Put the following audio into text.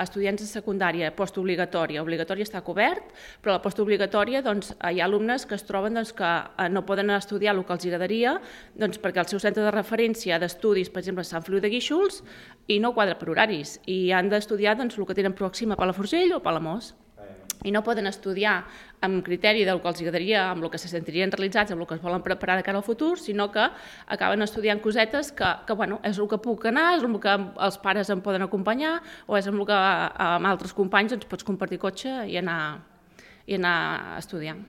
estudiants de secundària postobligatòria. Obligatòria està cobert, però a la postobligatòria hi ha alumnes que es troben que no poden estudiar el que els agradaria perquè el seu centre de referència d'estudis, per exemple, és Sant Feliu de Guíxols i no quadra per horaris i han d'estudiar el que tenen pròxim a Palafrugell o Palamós. I no poden estudiar amb criteri del que els agradaria, amb el que se sentirien realitzats, amb el que es volen preparar de cara al futur, sinó que acaben estudiant cosetes que és el que puc anar, és el que els pares em poden acompanyar o és el que amb altres companys pots compartir cotxe i anar a estudiar.